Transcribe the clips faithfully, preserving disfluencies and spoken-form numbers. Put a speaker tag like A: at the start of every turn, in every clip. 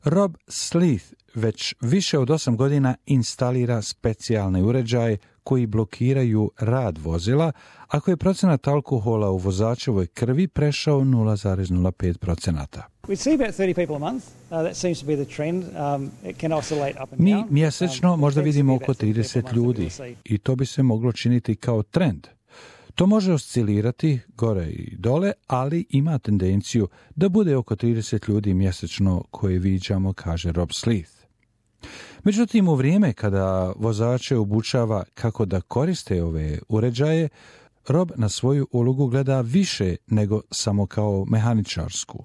A: Rob Sleeth već više od osam godina instalira specijalne uređaje koji blokiraju rad vozila ako je procenat alkohola u vozačevoj krvi prešao nula zarez nula pet procenata. Mi mjesečno možda vidimo oko trideset ljudi i to bi se moglo činiti kao trend. To može oscilirati gore i dole, ali ima tendenciju da bude oko trideset ljudi mjesečno koje viđamo, kaže Rob Sleeth. Međutim, u vrijeme kada vozače obučava kako da koriste ove uređaje, Rob na svoju ulogu gleda više nego samo kao mehaničarsku.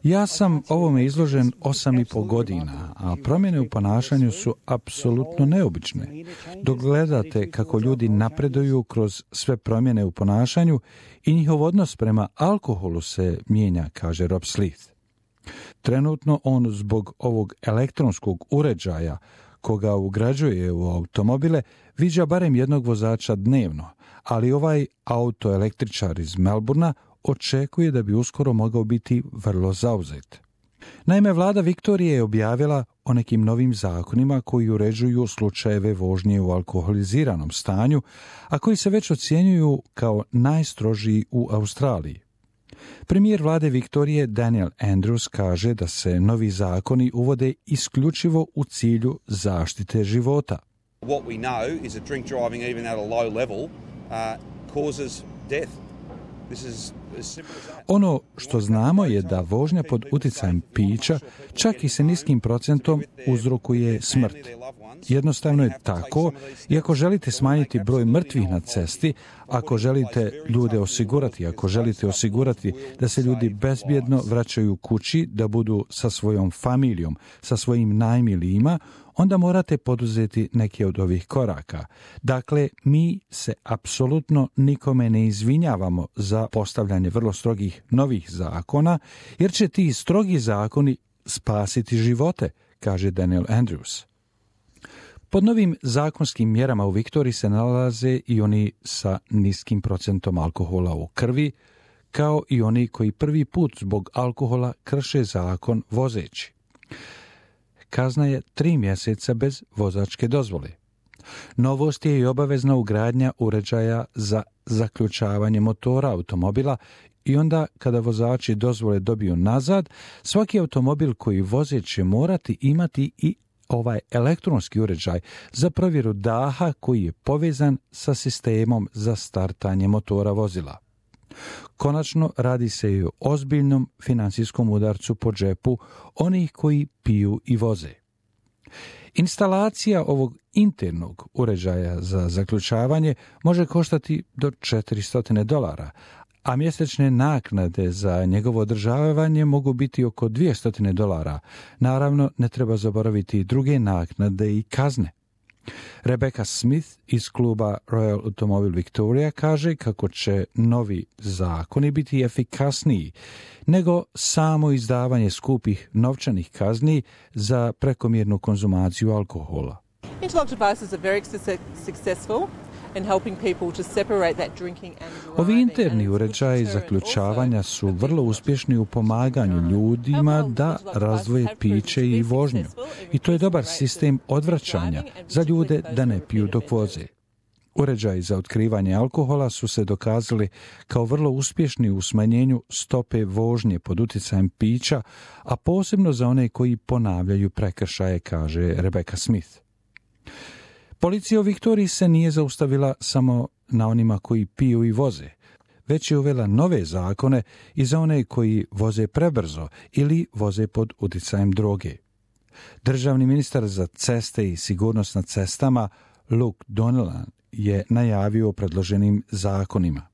A: Ja sam ovome izložen osam i pol godina, a promjene u ponašanju su apsolutno neobične. Dok gledate kako ljudi napreduju kroz sve promjene u ponašanju i njihov odnos prema alkoholu se mijenja, kaže Rob Sleeth. Trenutno on zbog ovog elektronskog uređaja koga ugrađuje u automobile viđa barem jednog vozača dnevno, ali ovaj autoelektričar iz Melbourna očekuje da bi uskoro mogao biti vrlo zauzet. Naime, vlada Viktorije je objavila o nekim novim zakonima koji uređuju slučajeve vožnje u alkoholiziranom stanju, a koji se već ocjenjuju kao najstrožiji u Australiji. Premijer vlade Viktorije Daniel Andrews kaže da se novi zakoni uvode isključivo u cilju zaštite života.
B: What we know is that drink driving even at a low level uh, causes death. This is
A: Ono što znamo je da vožnja pod utjecajem pića, čak i sa niskim procentom, uzrokuje smrt. Jednostavno je tako, i ako želite smanjiti broj mrtvih na cesti, ako želite ljude osigurati, ako želite osigurati da se ljudi bezbjedno vraćaju kući, da budu sa svojom familijom, sa svojim najmilijima, onda morate poduzeti neke od ovih koraka. Dakle, mi se apsolutno nikome ne izvinjavamo za postavljanje vrlo strogih novih zakona, jer će ti strogi zakoni spasiti živote, kaže Daniel Andrews. Pod novim zakonskim mjerama u Viktoriji se nalaze i oni sa niskim procentom alkohola u krvi, kao i oni koji prvi put zbog alkohola krše zakon vozeći. Kazna je tri mjeseca bez vozačke dozvole. Novost je i obavezna ugradnja uređaja za zaključavanje motora automobila i onda kada vozači dozvole dobiju nazad, svaki automobil koji voze će morati imati i ovaj elektronski uređaj za provjeru daha koji je povezan sa sistemom za startanje motora vozila. Konačno, radi se i o ozbiljnom financijskom udarcu po džepu onih koji piju i voze. Instalacija ovog internog uređaja za zaključavanje može koštati do četiristo dolara, a mjesečne naknade za njegovo održavanje mogu biti oko dvjesto dolara. Naravno, ne treba zaboraviti i druge naknade i kazne. Rebecca Smith iz kluba Royal Automobile Victoria kaže kako će novi zakoni biti efikasniji nego samo izdavanje skupih novčanih kazni za prekomjernu konzumaciju alkohola.
C: Interlock devices are very successful in helping people to separate that drinking and driving.
A: Ovi interni uređaji zaključavanja su vrlo uspješni u pomaganju ljudima da razdvoje piće i vožnju. I to je dobar sistem odvraćanja za ljude da ne piju dok voze. Uređaji za otkrivanje alkohola su se dokazali kao vrlo uspješni u smanjenju stope vožnje pod utjecajem pića, a posebno za one koji ponavljaju prekršaje, kaže Rebecca Smith. Policija u Viktoriji se nije zaustavila samo na onima koji piju i voze, već je uvela nove zakone i za one koji voze prebrzo ili voze pod utjecajem droge. Državni ministar za ceste i sigurnost na cestama Luke Donnellan je najavio o predloženim zakonima.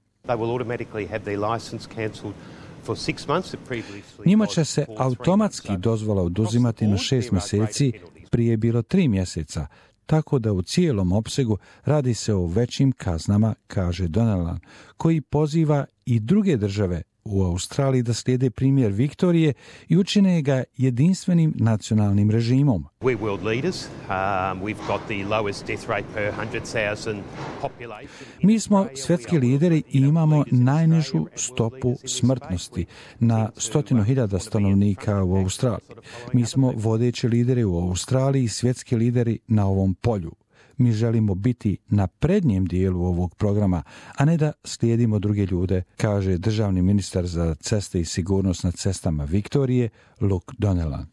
A: Njima će se automatski dozvola oduzimati na šest mjeseci, prije je bilo tri mjeseca, tako da u cijelom opsegu radi se o većim kaznama, kaže Donnellan, koji poziva i druge države u Australiji da slijede primjer Viktorije i učine ga jedinstvenim nacionalnim režimom.
D: We're world leaders. Um, we've got the lowest death rate per one hundred thousand population.
A: Mi smo svjetski lideri i imamo najnižu stopu smrtnosti na stotinu hiljada stanovnika u Australiji. Mi smo vodeći lideri u Australiji i svjetski lideri na ovom polju. Mi želimo biti na prednjem dijelu ovog programa, a ne da slijedimo druge ljude, kaže državni ministar za ceste i sigurnost na cestama Viktorije, Luke Donnellan.